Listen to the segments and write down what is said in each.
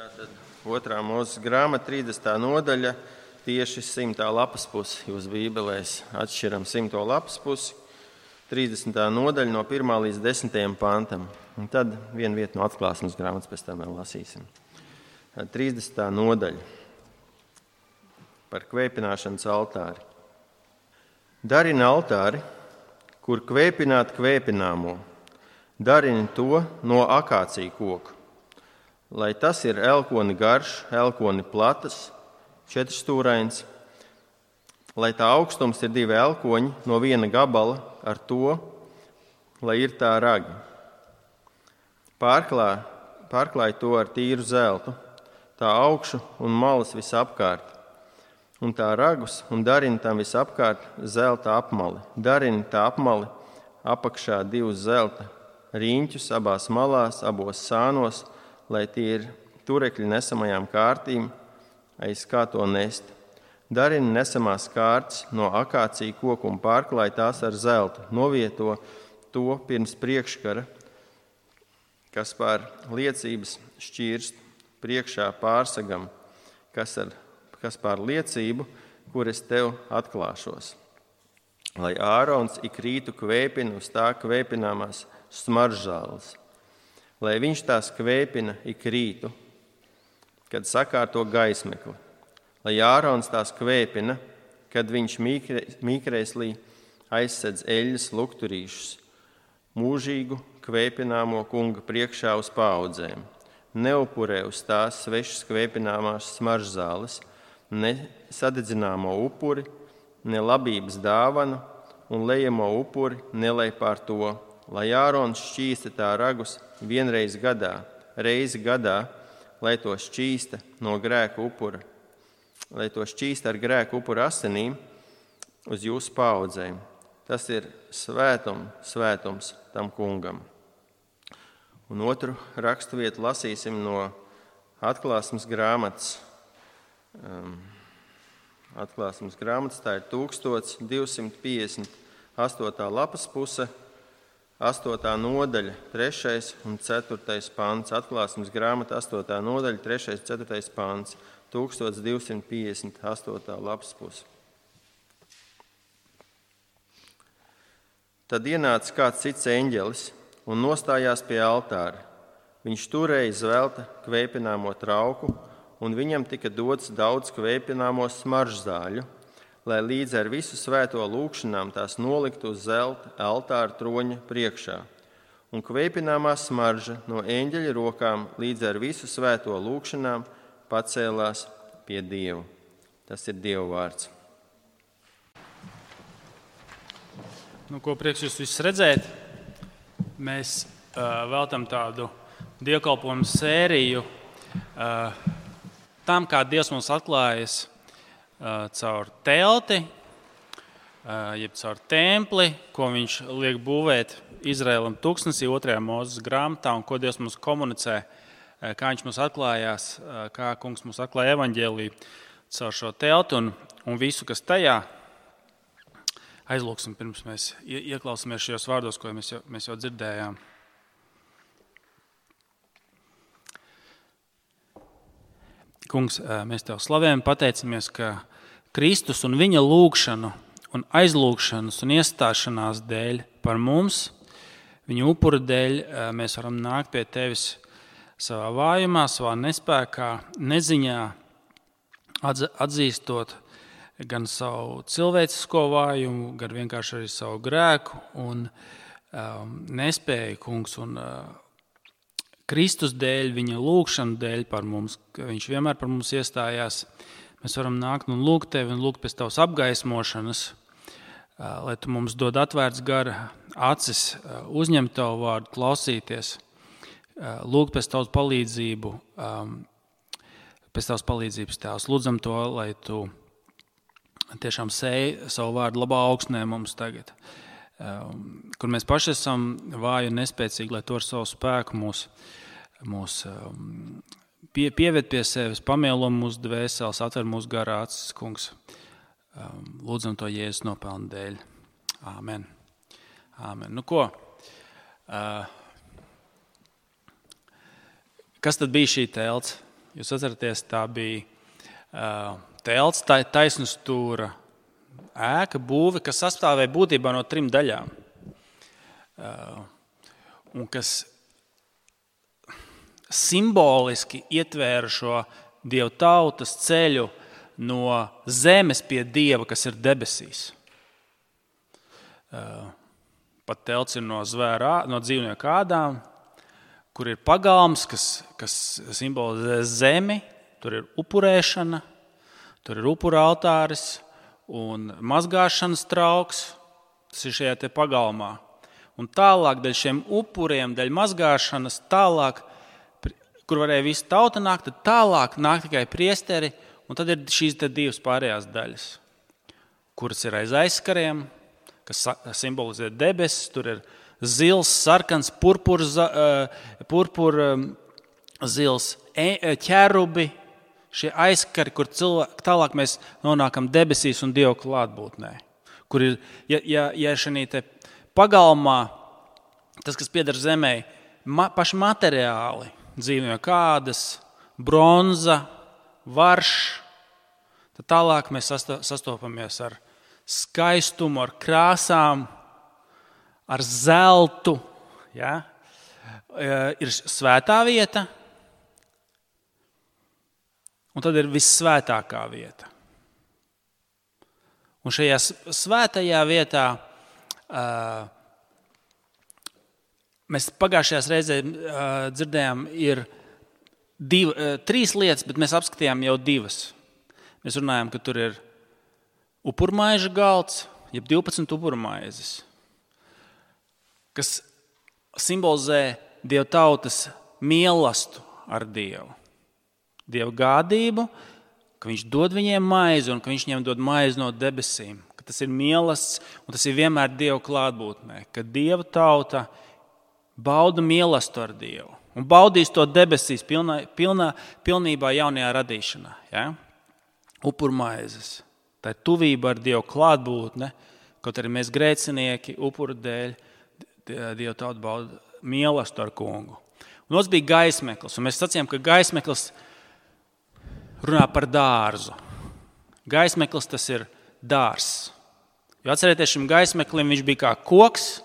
Tātad 2. Mūzes grāmata, 30. nodaļa, tieši 100. lapas pusi. Jūs Bībelēs atšķiram 100. lapas pusi, 30. nodaļa no 1. līdz 10. pantam. Un tad vienu vietu no Atklāsmes grāmatas pēc tam vēl lasīsim. 30. nodaļa par kvēpināšanas altāri. Darini altāri, kur kvēpināt kvēpināmo. Darini to no akācija koka, lai tas ir elkoni garš, elkoni platas, 4-stūrains, lai tā augstums ir 2 elkoņi no viena gabala ar to, lai ir tā ragi. Pārklāj to ar tīru zeltu, tā augšu un malas visapkārt, un tā ragus, un darini tam visapkārt zelta apmali. Darini tā apmali apakšā 2 zelta riņķus abās malās, abos sānos, lai tie ir turekļi nesamajām kārtīm, aiz kā to nest. Darini nesamās kārtas no akācija koku un pārklāj tās ar zeltu. Novieto to pirms priekškara, kas pār liecības šķirst priekšā pārsagam, kas pār liecību, kur es tev atklāšos. Lai Ārons ik rītu kvēpina uz tā kvēpināmās smaržzāles, lai viņš tās kvēpina ik rītu, kad sakārto gaismekli, lai Ārons tās kvēpina, kad viņš mīkrēslī aizsedz eļļas lukturīšus, mūžīgu kvēpināmo kunga priekšā uz paaudzēm. Neupurē uz tās svešas kvēpināmās smaržzāles, ne sadedzināmo upuri, ne labības dāvanu un lejamo upuri nelej pār to, lai Ārons šķīsta tā ragus vienreiz gadā, reizi gadā, lai to šķīsta no grēka upura, lai to šķīsta ar grēka upura asinīm uz jūsu paaudzēm. Tas ir svētums tam kungam. Un otru raksturvietu lasīsim no Atklāsmes grāmatas. Atklāsmes grāmatas, tā ir 1258. lapas puse, 8. nodaļa, 3. un 4. pants. Atklāsmes grāmata, 8. nodaļa, 3. un 4. pants, 1258. lapas puse. Tad ienāca kāds cits eņģelis un nostājās pie altāra. Viņš turēja zelta kvēpināmo trauku, un viņam tika dots daudz kvēpināmo smaržzāļu, lai līdz ar visu svēto lūgšanām tās noliktu uz zelta altāra troņa priekšā. Un kvēpināmā smarža no eņģeļa rokām līdz ar visu svēto lūgšanām pacēlās pie Dieva. Tas ir Dieva vārds. Ko prieks jūs visus redzēt. Mēs veltam tādu dievkalpojumu sēriju tam, kā Dievs mums atklājas caur telti, jeb caur templi, ko viņš liek būvēt Izraēlam tūkstnesī 2. Mūzes grāmatā, un ko Dievs mums komunicē, kā viņš mums atklājās, kā kungs mums atklāja evaņģēliju caur šo telti un visu, kas tajā. Aizlūksim, pirms mēs ieklausāmies šajos vārdos, ko mēs jau dzirdējām. Kungs, mēs tev slavējam, pateicamies, ka Kristus un viņa lūgšanu un aizlūgšanas un iestāšanās dēļ par mums, viņa upura dēļ, mēs varam nākt pie tevis savā vājumā, savā nespēkā, neziņā, atzīstot gan savu cilvēcisko vājumu, gan vienkārši arī savu grēku un nespēju, kungs, un Kristus dēļ, viņa lūgšana dēļ par mums, ka viņš vienmēr par mums iestājās. Mēs varam nākt un lūgt tevi un lūgt pēc tavas apgaismošanas, lai tu mums dod atvērts gara acis, uzņemt tavu vārdu, klausīties, lūgt pēc tavas palīdzību, pēc tavas palīdzības tēvs. Lūdzam to, lai tu tiešām sēji savu vārdu labā augsnē mums tagad, kur mēs paši esam vāji un nespēcīgi, lai to ar savu spēku mūs pieved pie sevis, pamielo mūsu dvēseles, atver mūsu garā acis, kungs. Lūdzam to Jēzus nopelnu dēļ. Āmen. Āmen. Kas tad bija šī telts? Jūs atceraties, tā bija telts, taisnstūra ēka, būve, kas sastāvēja būtībā no 3 daļām. Un kas simboliski ietvēra šo Dieva tautas ceļu no zemes pie Dieva, kas ir debesīs. Pat telts ir no dzīvnieku ādām, kur ir pagalms, kas simbolizē zemi, tur ir upurēšana, tur ir upura altāris un mazgāšanas trauks, tas ir šajā te pagalmā. Un tālāk, daļ šiem upuriem, daļ mazgāšanas, tālāk, kur varēja visa tauta nākt, tad tālāk nāk tikai priesteri, un tad ir šīs 2 pārējās daļas, kuras ir aiz aizskariem, kas simbolizē debesis, tur ir zils, sarkans, purpur zils, ķerubi, šie aizskari, kur tālāk mēs nonākam debesīs un Dieva klātbūtnē. Kur ir, ja šī te pagalmā, tas, kas pieder zemē, paši materiāli, dzīvnieku ādas, bronza, varš, tad tālāk mēs sastopamies ar skaistumu, ar krāsām, ar zeltu. Ja? Ir svētā vieta, un tad ir vissvētākā vieta. Un šajā svētajā vietā mēs pagājušajās reizē dzirdējām, ir 3 lietas, bet mēs apskatījām jau 2. Mēs runājām, ka tur ir upurmaiža galds, jeb 12 upurmaizes, kas simbolizē Dieva tautas mīlestību ar Dievu. Dieva gādību, ka viņš dod viņiem maizi un ka viņš viņiem dod maizi no debesīm. Ka tas ir mīlestības un tas ir vienmēr Dieva klātbūtnē. Ka Dieva tauta bauda mīlestību ar Dievu un baudīs to debesīs pilnībā jaunajā radīšanā. Ja? Upurmaizes. Tā ir tuvība ar Dievu klātbūtne, kaut arī mēs grēcinieki upuru dēļ Dieva tauta bauda mīlestību ar kungu. Un mums bija gaismeklis, un mēs sacījām, ka gaismeklis runā par dārzu. Gaismeklis tas ir dārzs. Jo atcerieties, šim gaismeklim viņš bija kā koks,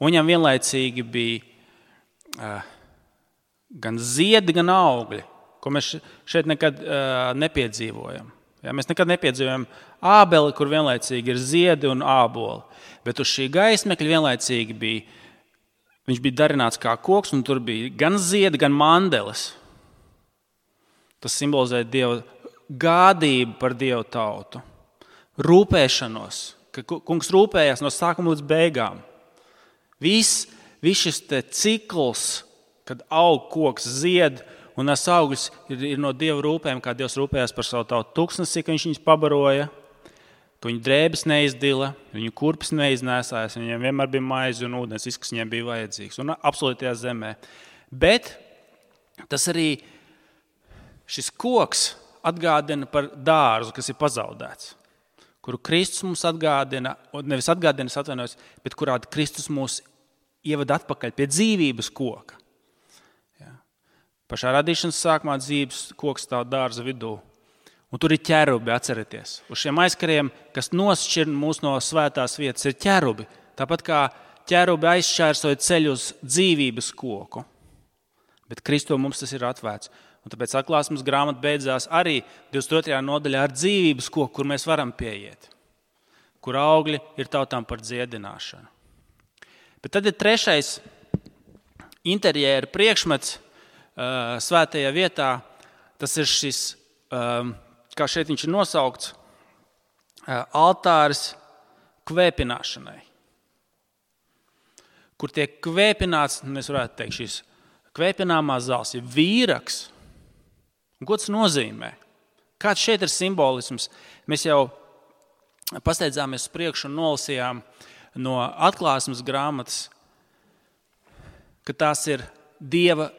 un viņam vienlaicīgi bija gan ziedi, gan augļi, ko mēs šeit nekad nepiedzīvojam. Ja, mēs nekad nepiedzīvojam ābeli, kur vienlaicīgi ir ziedi un āboli, bet uz šī gaismekļa vienlaicīgi viņš bija darināts kā koks, un tur bija gan ziedi, gan mandelis. Tas simbolizē Dieva gādību par Dieva tautu, rūpēšanos, ka kungs rūpējās no sākuma līdz beigām. Viss šis cikls, kad aug koks, zied un nes augļus, ir no Dieva rūpēm, kā Dievs rūpējās par savu tautu tuksnesī, ka viņš viņus pabaroja, ka viņu drēbes neizdila, viņu kurpes neiznēsājas, viņiem vienmēr bija maize un ūdens, viss, kas viņiem bija vajadzīgs, un absolūtajā zemē. Bet tas arī šis koks atgādina par dārzu, kas ir pazaudēts, kuru Kristus mums atgādina, nevis atgādina, atvainojos, bet kurā Kristus mūs ievada atpakaļ pie dzīvības koka. Ja. Pašā radīšanas sākumā dzīves koks stāv dārza vidū. Un tur ir ķerubi, atcerieties. Uz šiem aizkariem, kas nošķir mūs no svētās vietas, ir ķerubi. Tāpat kā ķerubi aizšķērsoja ceļu uz dzīvības koku. Bet Kristo mums tas ir atvērts. Un tāpēc atklāsmes grāmata beidzās arī 22. nodaļā ar dzīvības koku, kur mēs varam pieiet. Kur augļi ir tautām par dziedināšanu. Bet tad ir 3. interjēra priekšmets svētajā vietā. Tas ir šis, kā šeit viņš ir nosaukts, altāris kvēpināšanai. Kur tiek kvēpināts, mēs varētu teikt, šis kvēpināmās zāles ir vīraks. Un ko tas nozīmē? Kāds šeit ir simbolisms? Mēs jau pasteidzāmies uz priekšu un nolasījām no atklāsmes grāmatas, ka tās ir Dieva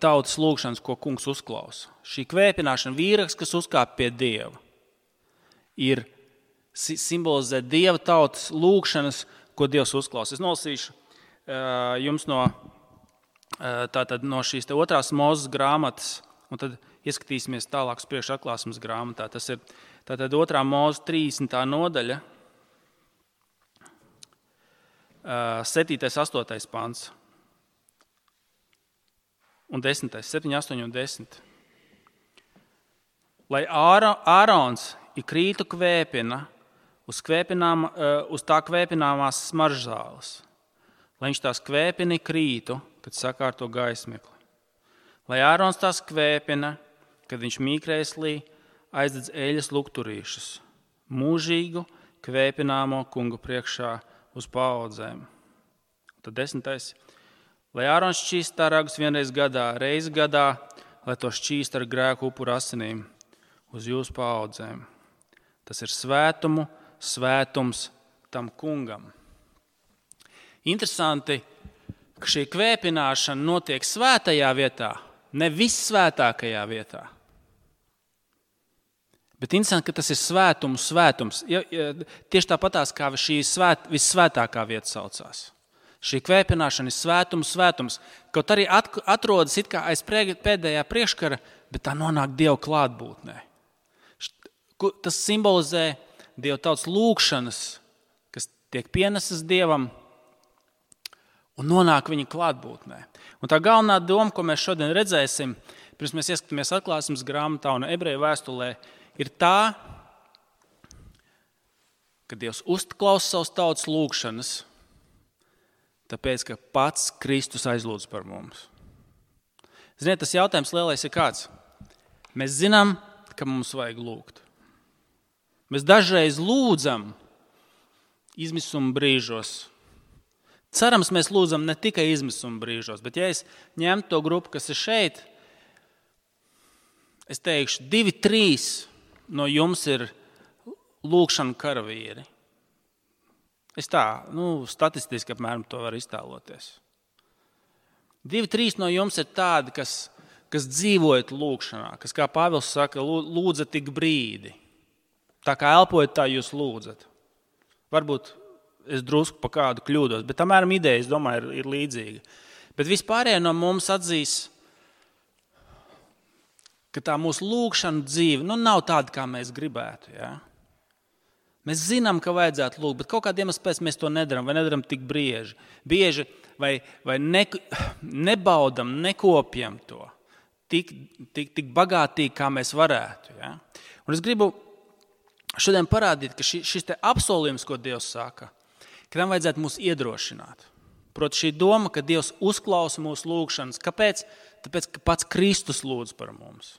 tautas lūgšanas, ko kungs uzklausa. Šī kvēpināšana, vīraks, kas uzkāp pie Dieva, ir simbolizē Dieva tautas lūgšanas, ko Dievs uzklausa. Es nolasīšu jums no šīs 2. Mūzes grāmatas, un tad ieskatīsimies tālāk uz priekšu atklāsmes grāmatā. Tas ir tātad 2. Mūzes 30. nodaļa, 7. 8. pants un 10. 7, 8 un 10. Lai Ārons krītu kvēpina uz tā kvēpināmās smaržzāles, lai viņš tās kvēpina krītu, kad sakārto gaismekli. Lai Ārons tās kvēpina, kad viņš mīkrēslī aizdedz eļas lukturīšus, mūžīgu kvēpināmo kungu priekšā uz paaudzēm. Tad 10. Lai Ārons šķīst tā ragus vienreiz gadā, reizi gadā, lai to šķīst ar grēku upuru asinīm uz jūsu paaudzēm. Tas ir svētums tam kungam. Interesanti, ka šī kvēpināšana notiek svētajā vietā, ne vissvētākajā vietā. Bet interesanti, ka tas ir svētums. Tieši tāpatās, kā šī vissvētākā vieta saucās. Šī kvēpināšana ir svētums. Kaut arī atrodas it kā aiz pēdējā priekškara, bet tā nonāk Dieva klātbūtnē. Tas simbolizē Dieva tautas lūgšanas, kas tiek pienesas Dievam un nonāk viņa klātbūtnē. Un tā galvenā doma, ko mēs šodien redzēsim, pirms mēs ieskatāmies atklāsmes grāmatā un ebreju vēstulē, ir tā, ka Dievs uzklausa savas tautas lūgšanas, tāpēc, ka pats Kristus aizlūdz par mums. Ziniet, tas jautājums lielais ir kāds? Mēs zinām, ka mums vajag lūgt. Mēs dažreiz lūdzam izmisuma brīžos. Cerams, mēs lūdzam ne tikai izmisuma brīžos, bet ja es ņemtu to grupu, kas ir šeit, es teikšu, 2-3 no jums ir lūgšana karavīri. Es tā, statistiski apmēram to var iztēloties. 2-3 no jums ir tādi, kas dzīvojat lūgšanā, kas, kā Pāvils saka, lūdzat tik brīdi. Tā kā elpojat, tā jūs lūdzat. Varbūt es drusku pa kādu kļūdos, bet apmēram ideja, es domāju, ir līdzīga. Bet vispārējie no mums atzīs, ka tā mūsu lūgšana dzīve nav tāda, kā mēs gribētu. Ja? Mēs zinām, ka vajadzētu lūgt, bet kaut kādiem iemeslam mēs to nedaram vai nedaram tik bieži vai nebaudam, nekopjam to tik bagātīgi, kā mēs varētu. Ja? Un es gribu šodien parādīt, ka šis te apsolījums, ko Dievs saka, ka tam vajadzētu mūs iedrošināt. Proti šī doma, ka Dievs uzklausa mūsu lūgšanas. Kāpēc? Tāpēc, ka pats Kristus lūdz par mums.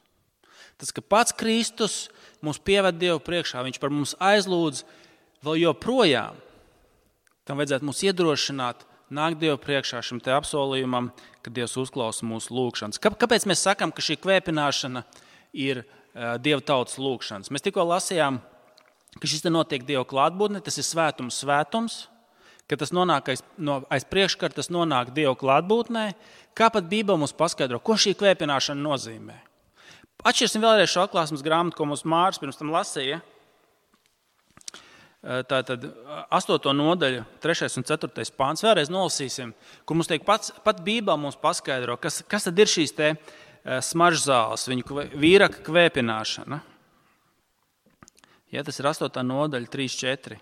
Tas, ka pats Kristus mūs pieved Dievu priekšā, viņš par mums aizlūdz vēl joprojām. Tam vajadzētu mūs iedrošināt, nākt Dievu priekšā šim te apsolījumam, ka Dievs uzklausa mūsu lūgšanas. Kāpēc mēs sakam, ka šī kvēpināšana ir Dieva tautas lūgšanas? Mēs tikko lasījām, ka šis te notiek Dieva klātbūtnē, tas ir svētums, ka tas nonāk aiz priekškara, tas nonāk Dieva klātbūtnē. Kā pat Bībele mums paskaidro, ko šī kvēpināšana nozīmē? Atšķirsim vēlreiz šo atklāsmes grāmatu, ko mums Māris pirms tam lasīja. Tātad 8. nodaļa, 3. un 4. pāns. Vēlreiz nolasīsim, kur mums tiek pat Bībele mums paskaidro, kas tad ir šīs te smaržzāles, viņu vīraka kvēpināšana. Ja, tas ir 8. nodaļa, 3-4.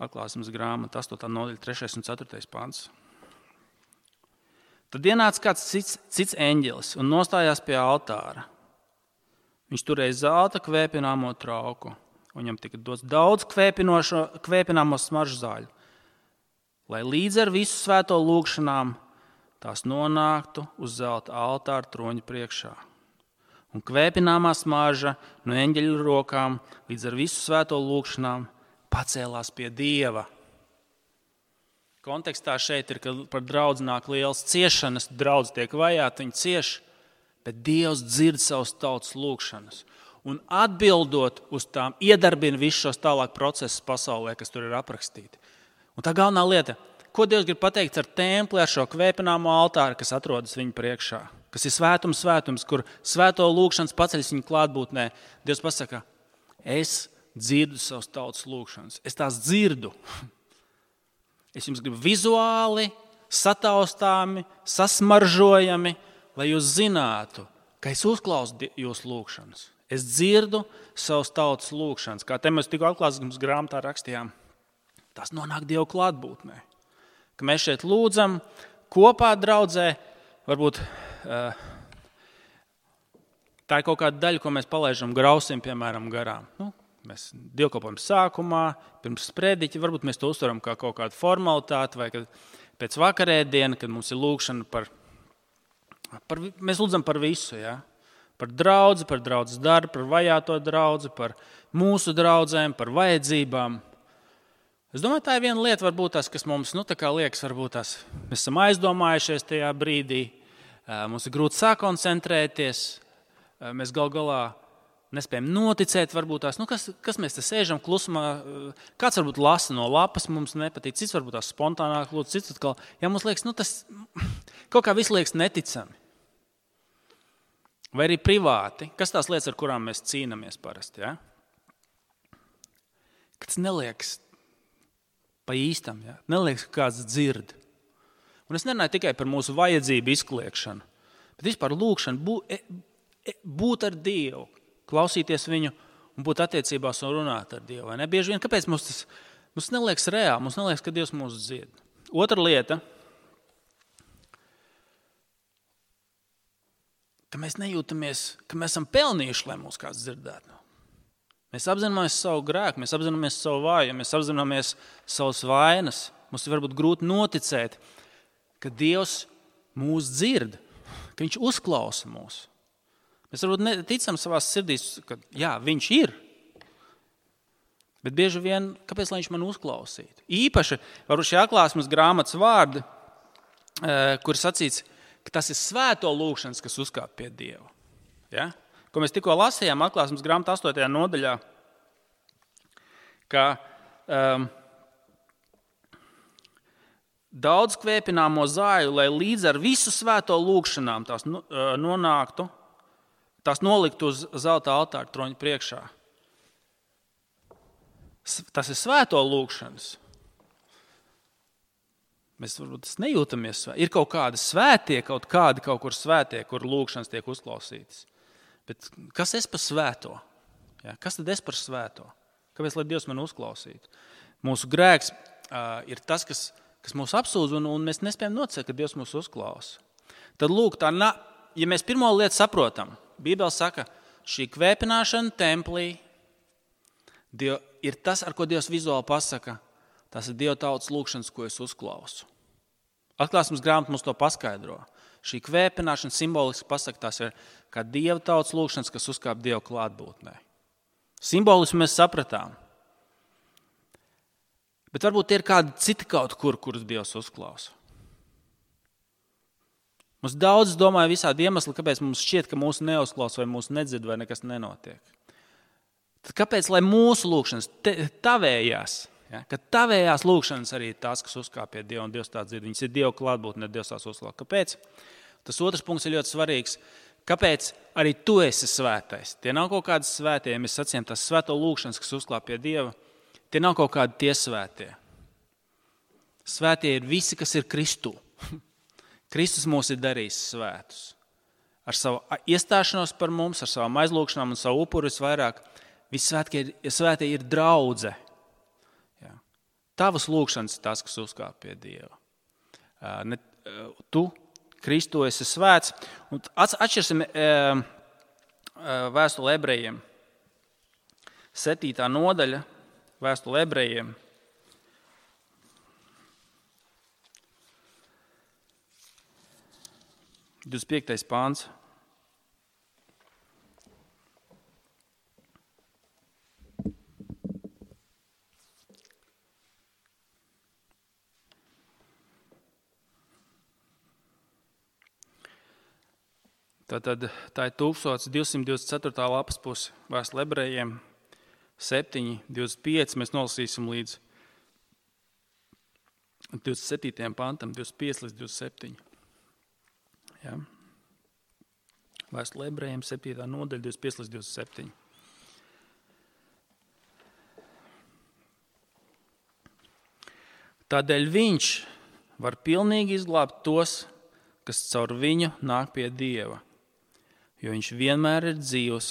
Atklāsmes grāmata, 8. nodaļa, 3. un 4. pāns. Tad ienāca kāds cits eņģelis un nostājās pie altāra. Viņš turēja zelta kvēpināmo trauku, un viņam tika dots daudz kvēpināmo smaržzāļu, lai līdz ar visu svēto lūgšanām tās nonāktu uz zelta altāra troņa priekšā. Un kvēpināmā smarža no eņģeļa rokām līdz ar visu svēto lūgšanām pacēlās pie Dieva. Kontekstā šeit ir, ka par draudzi nāk lielas ciešanas, draudz tiek vajāti, viņi cieš, bet Dievs dzird savus tautas lūgšanas. Un atbildot uz tām, iedarbina visus šos tālāk procesus pasaulē, kas tur ir aprakstīti. Un tā galvenā lieta, ko Dievs grib pateikt ar templi, ar šo kvēpināmo altāru, kas atrodas viņa priekšā, kas ir svētums, kur svēto lūgšanas paceļas viņa klātbūtnē. Dievs pasaka, es dzirdu savus tautas lūgšanas, es tās dzirdu. Es jums gribu vizuāli, sataustāmi, sasmaržojami lai jūs zinātu, ka es uzklausu jūsu lūgšanas. Es dzirdu savus tautas lūgšanas. Kā te mēs tikko atklāsmes grāmatā rakstījām, tas nonāk Dieva klātbūtnē. Ka mēs šeit lūdzam kopā draudzē, varbūt tā ir kaut kāda daļa, ko mēs palaižam grausim, piemēram, garām. Mēs dievkalpojam sākumā, pirms sprediķa, varbūt mēs to uztveram kā kaut kādu formalitāti, vai kad pēc vakarēdiena, kad mums ir lūgšana mēs lūdzam par visu, ja? Par draudzi, par draudzes darbu, par vajāto draudzi, par mūsu draudzēm, par vajadzībām. Es domāju, tā ir viena lieta, varbūt tas, kas mums tā kā liekas, varbūt tas, mēs esam aizdomājušies tajā brīdī, mums ir grūti sakoncentrēties, mēs gal galā nespējam noticēt, varbūt tās, kas mēs te sēžam klusumā, kāds varbūt lasa no lapas, mums nepatīk, cits varbūt tās spontānāk lūdz, cits atkal, ja mums liekas, tas kaut kā viss liekas neticami. Vai arī privāti, kas tās lietas, ar kurām mēs cīnāmies parasti, ja? Kas neliekas pa īstam, ja? Neliekas, ka kāds dzird. Un es nerunāju tikai par mūsu vajadzību izkliekšanu, bet vispār lūgšanu, būt ar Dievu, klausīties viņu un būt attiecībās un runāt ar Dievu. Vai ne? Bieži vien, kāpēc mums neliekas reāli, mums neliekas, ka Dievs mūs dzird. Otra lieta, ka mēs nejūtamies, ka mēs esam pelnījuši, lai mūs kāds dzirdētu. Mēs apzināmies savu grēku, mēs apzināmies savu vājumu, mēs apzināmies savas vainas. Mums ir varbūt grūti noticēt, ka Dievs mūs dzird, ka viņš uzklausa mūs. Mēs varbūt neticam savās sirdīs, ka jā, viņš ir. Bet bieži vien, kāpēc lai viņš man uzklausītu? Īpaši, varbūt šī atklāsmes grāmatas vārdi, kur sacīts, ka tas ir svēto lūgšanas, kas uzkāp pie Dieva. Ja? Ko mēs tikko lasījām atklāsmes grāmatā 8. nodaļā, ka daudz kvēpināmo zāju, lai līdz ar visu svēto lūgšanām tās nonāktu, tās noliktu uz zelta altāra troņa priekšā. Tas ir svēto lūgšanas. Mēs varbūt nejūtamies svēti. Ir kaut kādi svētie, kaut kur svētie, kur lūgšanas tiek uzklausītas. Bet kas es par svēto? Ja? Kas tad es par svēto? Kāpēc, lai Dievs man uzklausītu? Mūsu grēks ir tas, kas mūs apsūdz, un mēs nespējam nocēt, ka Dievs mūs uzklausa. Tad lūk, ja mēs pirmo lietu saprotam, Bībele saka, šī kvēpināšana templī ir tas, ar ko Dievs vizuāli pasaka, tas ir Dieva tautas lūgšanas, ko es uzklausu. Atklāsmes grāmata mums to paskaidro. Šī kvēpināšana simboliski pasaka, tās ir kā Dieva tautas lūgšanas, kas uzkāp Dieva klātbūtnē. Simboliski mēs sapratām. Bet varbūt ir kādi citi kaut kur, kurus Dievs uzklausa. Mums daudz domāja visādi iemesli, kāpēc mums šķiet, ka mūsu neuzklausa vai mūsu nedzird vai nekas nenotiek. Tad kāpēc, lai mūsu lūgšanas tavējās, ja, ka tavējās lūgšanas arī ir tās, kas uzkāp pie Dieva un Dievs tā dzird. Viņas ir Dieva klātbūtnē, Dievs tās uzklausa. Kāpēc? Tas otrs punkts ir ļoti svarīgs. Kāpēc arī tu esi svētais? Tie nav kaut kādi svētie, ja mēs sacījām tās svēto lūgšanas, kas uzklāp pie Dieva. Tie nav kaut kādi tie svētie. Svētie ir visi, kas ir Kristū. Kristus mūs ir darījis svētus. Ar savu iestāšanos par mums, ar savām aizlūgšanām un savu upuru visvairāk. Visi svētie ir draudze. Ja. Tavas lūgšanas ir tās, kas uzkāp pie Dieva. Tu, Kristu, esi svēts. Un atšķirsim vēstuli ebrejiem. 7. nodaļa vēstuli ebrejiem. 25. pāns. Tā ir 1224. lapas puse vēstule ebrejiem 7.25. Mēs nolasīsim līdz 27. pantam, 25 līdz 27. Ja. Vēstule ebrejiem 7. nodaļa, 25 līdz 27. Tādēļ viņš var pilnīgi izglābt tos, kas caur viņu nāk pie Dieva, jo viņš vienmēr ir dzīvs,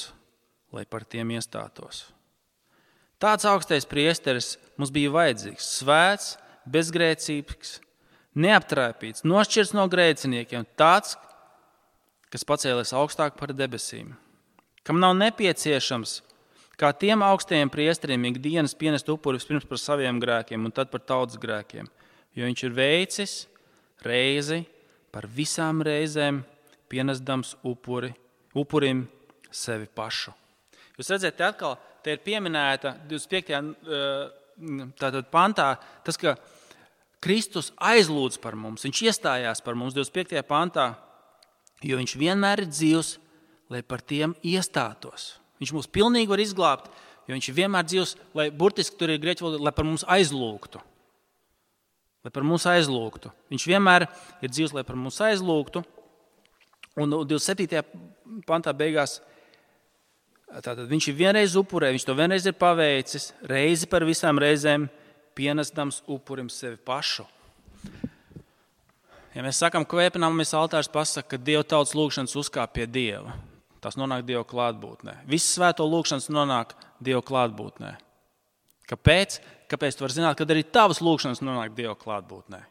lai par tiem iestātos. Tāds augstais priesteris mums bija vajadzīgs, svēts, bezgrēcīgs, neaptraipīts, nošķirts no grēciniekiem, tāds, kas pacēlies augstāk par debesīm, kam nav nepieciešams, kā tiem augstajiem priesteriem, ikdienas pienest upuri vispirms par saviem grēkiem un tad par tautas grēkiem, jo viņš ir veicis reizi par visām reizēm pienesdams upurim sevi pašu. Jūs redzat, te ir pieminēta 25. Tātad pantā tas, ka Kristus aizlūdz par mums, viņš iestājās par mums 25. pantā, jo viņš vienmēr ir dzīvs, lai par tiem iestātos. Viņš mūs pilnīgi var izglābt, jo viņš ir vienmēr dzīvs, lai burtiski tur ir grieķu valoda, lai par mums aizlūgtu. Lai par mums aizlūgtu. Viņš vienmēr ir dzīvs, lai par mums aizlūgtu. Un 27. pantā beigās, tātad viņš ir vienreiz upurē, viņš to vienreiz ir paveicis, reizi par visām reizēm pienesdams upurim sevi pašu. Ja mēs sakam, kvēpināmies altārs pasaka, ka Dieva tautas lūgšanas uzkāp pie Dieva. Tas nonāk Dieva klātbūtnē. Viss svēto lūgšanas nonāk Dieva klātbūtnē. Kāpēc? Kāpēc tu vari zināt, kad arī tavas lūgšanas nonāk Dieva klātbūtnē?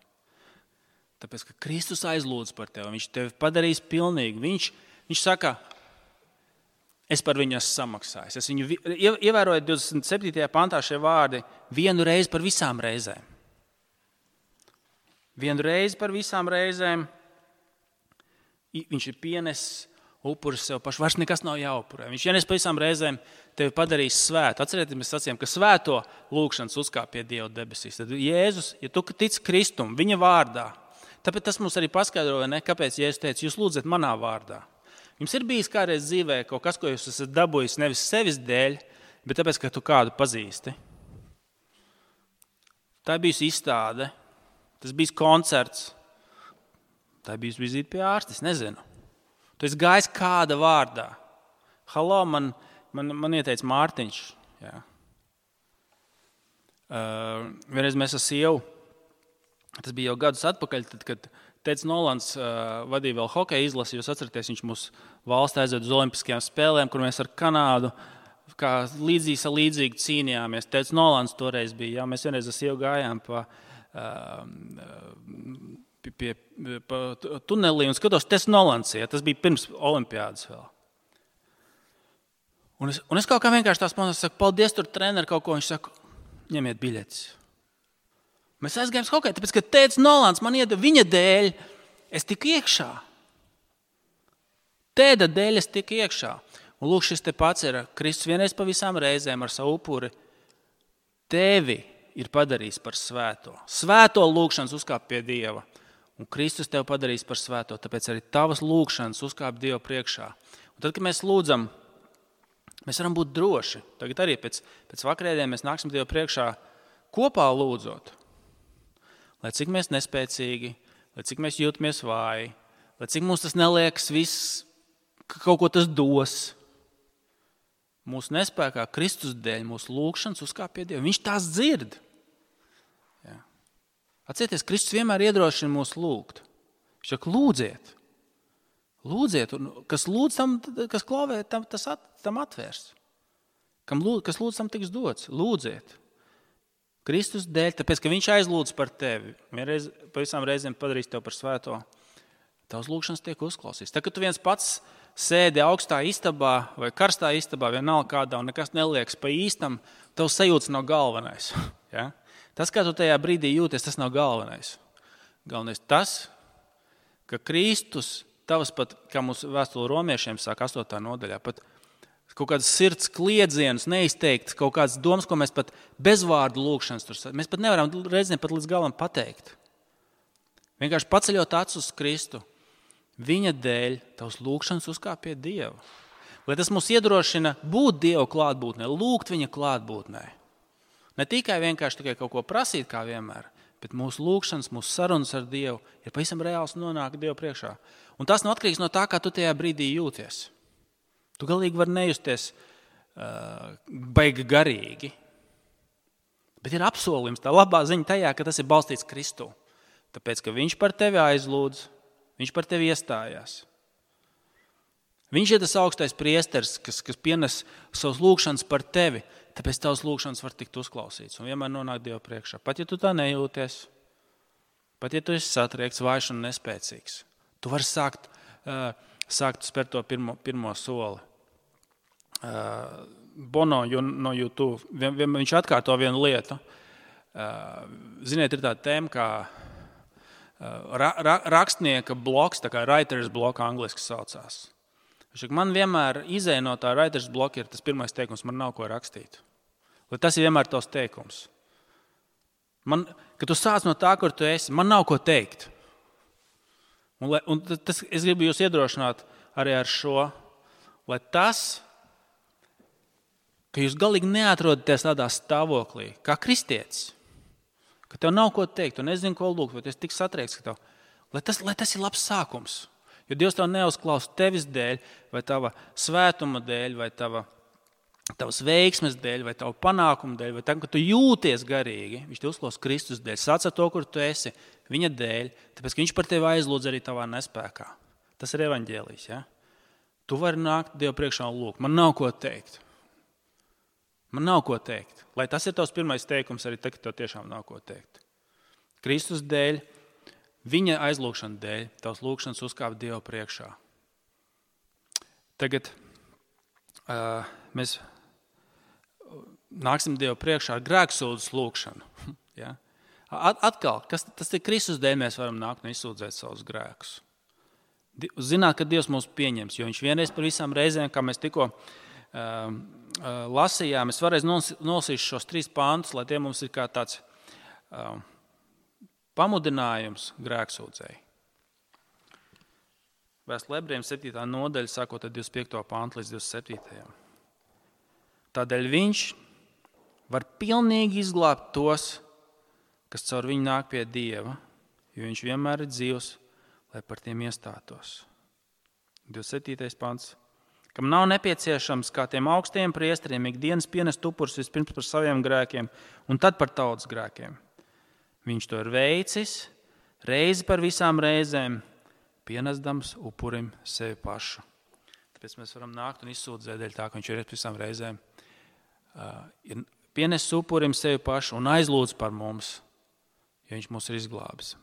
Tāpēc, ka Kristus aizlūdz par tevi, viņš tevi padarīs pilnīgi. Viņš saka, es par viņu esmu samaksājis. Es viņu ievēroju 27. pantā šie vārdi, vienu reizi par visām reizēm. Vienu reizi par visām reizēm viņš ir pienesis upuris sev pašu. Vairs nekas nav jāupurē. Viņš vienreiz par visām reizēm tevi padarīs svētu. Atcerieties, mēs sacījām, ka svēto lūgšanas uzkāp pie Dieva debesīs. Tad Jēzus, ja tu tici Kristum, viņa vārdā, tāpēc tas mums arī paskaidroja, kāpēc Jēzus teica, jūs lūdzat manā vārdā. Jums ir bijis kādreiz dzīvē kaut kas, ko jūs esat dabūjis nevis sevis dēļ, bet tāpēc, ka tu kādu pazīsti. Tā ir bijusi izstāde, tas bijis koncerts, tā ir bijusi vizīte pie ārsta, es nezinu. Tu esi gājis kāda vārdā. Halo, man ieteica Mārtiņš. Jā. Vienreiz mēs ar sievu, tas bija jau gadus atpakaļ, tad, kad Teds Nolans vadīja vēl hokeja izlasi, jūs atceraties, viņš mūs valsts aizved uz Olimpiskajām spēlēm, kur mēs ar Kanādu kā līdzīgi cīnījāmies. Teds Nolans toreiz bija, jā, mēs vienreiz ar sievu gājām pa tunelī un skatos, Teds Nolans, ja, tas bija pirms olimpiādas vēl. Un es kaut kā vienkārši tās pamanās, saku, paldies tur treneri kaut ko, viņš saka, ņemiet biļetes. Mēs aizgājām hokeju, tāpēc, ka Teds Nolans man iedeva viņa dēļ, es tiku iekšā. Tēda dēļ es tiku iekšā. Un lūk, šis te pats ir Kristus vienreiz pa visām reizēm ar savu upuri. Tevi ir padarījis par svēto. Svēto lūgšanas uzkāp pie Dieva. Un Kristus tevi padarīs par svēto, tāpēc arī tavas lūgšanas uzkāp Dieva priekšā. Un tad, kad mēs lūdzam, mēs varam būt droši. Tagad arī pēc vakarēdien mēs nāksim Dieva priekšā kopā lūdzot. Lai cik mēs nespēcīgi, lai cik mēs jūtamies vāji, lai cik mums tas neliekas viss, ka kaut ko tas dos. Mūsu nespēkā Kristus dēļ mūsu lūgšanas uzkāp pie Dieva. Viņš tās dzird. Jā. Atcerieties, Kristus vienmēr iedrošina mūs lūgt. Viņš saka, lūdziet. Lūdziet, un kas lūdz tam, kas klavē, tam atvērs. Kas lūdz tam tiks dots. Lūdziet. Kristus dēļ, tāpēc, ka viņš aizlūdz par tevi. Vienreiz pa visām reizēm padarīs tevi par svēto. Tavs lūgšanas tiek uzklausīts. Tā, kad tu viens pats sēdi augstā istabā vai karstā istabā, vienalga kādā, un nekas neliekas pa īstam, tavs sajūtas nav galvenais. Ja? Tas, kā tu tajā brīdī jūties, tas nav galvenais. Galvenais tas, ka Kristus, tavs pat, kā mūsu vēstule romiešiem saka 8. nodaļā, pat kaut kādas sirds kliedzienus, neizteikts, kaut kādas domas, ko mēs pat bez vārdu lūgšanas tur mēs pat nevaram reizēm pat līdz galam pateikt. Vienkārši paceļot acis uz Kristu, viņa dēļ tavs lūgšanas uzkāp pie Dieva. Lai tas mūs iedrošina būt Dieva klātbūtnē, lūgt viņa klātbūtnē. Ne tikai vienkārši tikai kaut ko prasīt kā vienmēr, bet mūsu lūgšanas, mūsu sarunas ar Dievu ir pavisam reāls nonāk Dievu priekšā. Un tas nav atkarīgs no tā, kā tu tajā brīdī jūties. Tu galīgi vari nejusties baigi garīgi. Bet ir apsolījums, tā labā ziņa tajā, ka tas ir balstīts Kristū. Tāpēc, ka viņš par tevi aizlūdz, Viņš par tevi iestājās. Viņš ir tas augstais priesteris, kas pienes savus lūgšanas par tevi, tāpēc tavas lūgšanas var tikt uzklausīts un vienmēr nonākt Dievu priekšā. Pat ja tu tā nejūties, pat ja tu esi satriekts, vājš un nespēcīgs, tu vari sākt spērt to pirmo soli. Bono no YouTube, viņš atkārto vienu lietu. Ziniet, ir tāda tēma kā rakstnieka bloks, tā kā writer's block angliski saucās. Man vienmēr izēja no tā writer's block ir tas pirmais teikums, man nav ko rakstīt. Lai tas ir vienmēr tavs teikums. Kad tu sāc no tā, kur tu esi, man nav ko teikt. Un tas, es gribu jūs iedrošināt arī ar šo, lai tas, ka jūs galīgi neatrodaties tādā stāvoklī, kā kristietis, ka tev nav ko teikt, tu nezini, ko lūgt, vai tu esi tik satriekts, ka tev, lai tas ir labs sākums. Jo Dievs tev neuzklaus tevis dēļ, vai tava svētuma dēļ, vai tavas veiksmes dēļ, vai tava panākuma dēļ, vai tam, ka tu jūties garīgi. Viņš te uzklaus Kristus dēļ, sāc ar to, kur tu esi, viņa dēļ, tāpēc, ka viņš par tevi aizlūdz arī tavā nespēkā. Tas ir evaņģēlijs, ja? Tu vari nākt Dievu priekšā un lūgt. Man nav ko teikt. Lai tas ir tavs pirmais teikums, arī tagad tev tiešām nav ko teikt. Kristus dēļ, viņa aizlūgšana dēļ, tavs lūgšanas uzkāp Dievu priekšā. Tagad mēs nāksim Dievu priekšā ar grēksūdzes lūgšanu. Ja? Atkal, tas ir Kristus dēļ, mēs varam nākt un izsūdzēt savus grēkus. Zināt, ka Dievs mūs pieņems, jo viņš vienreiz par visām reizēm, kā mēs tikko lasījām, es varēs nolasīšu šos 3 pantus, lai tie mums ir kā tāds pamudinājums grēksūdzēji. Vēstule Ebrejiem 7. nodaļa, sākot ar 25. pantu līdz 27. Tādēļ viņš var pilnīgi izglābt tos, kas caur viņu nāk pie Dieva, jo viņš vienmēr ir dzīvs, lai par tiem iestātos. 27. pants. Kam nav nepieciešams kā tiem augstiem priesteriem ikdienas pienest upurus vispirms par saviem grēkiem un tad par tautas grēkiem. Viņš to ir veicis reizi par visām reizēm, pienesdams upurim sevi pašu. Tāpēc mēs varam nākt un izsūdzēt dēļ tā, ka viņš ir par visām reizēm. Pienes upurim sevi pašu un aizlūdz par mums, jo viņš mūs ir izglābis.